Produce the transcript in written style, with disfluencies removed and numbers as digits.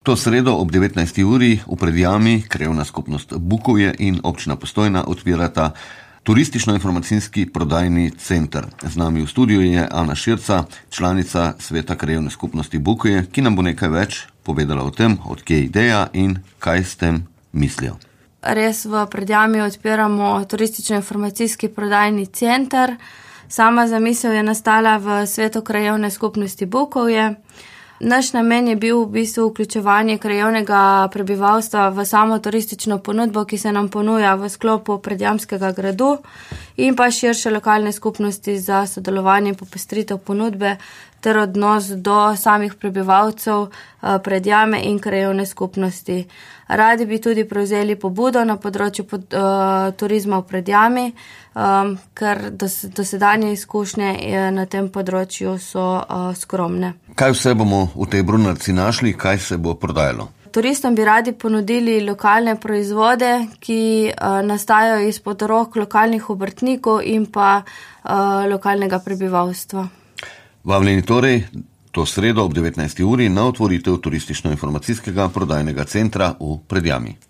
To sredo ob 19. uri v Predjami krajevna skupnost Bukovje in občina Postojna odpirata turistično-informacijski prodajni center. Z nami v studiu je Ana Širca, članica sveta krajevne skupnosti Bukovje, ki nam bo nekaj več povedala o tem, od kje je ideja in kaj s tem mislijo. Res v Predjami odpiramo turistično-informacijski prodajni center. Sama zamisel je nastala v svetu krajevne skupnosti Bukovje. Naš namen je bil v bistvu vključevanje krajevnega prebivalstva v samo turistično ponudbo, ki se nam ponuja v sklopu Predjamskega gradu in pa širše lokalne skupnosti za sodelovanje in popestritev ponudbe ter odnos do samih prebivalcev Predjame in krajevne skupnosti. Radi bi tudi prevzeli pobudo na področju turizma v Predjami, ker dosedanje izkušnje na tem področju so skromne. Kaj vse bomo v tej brunarci našli, kaj se bo prodajalo? Turistom bi radi ponudili lokalne proizvode, ki nastajajo izpod rok lokalnih obrtnikov in pa lokalnega prebivalstva. Vabljeni torej to sredo ob 19. uri na otvoritev turistično-informacijskega prodajnega centra v Predjami.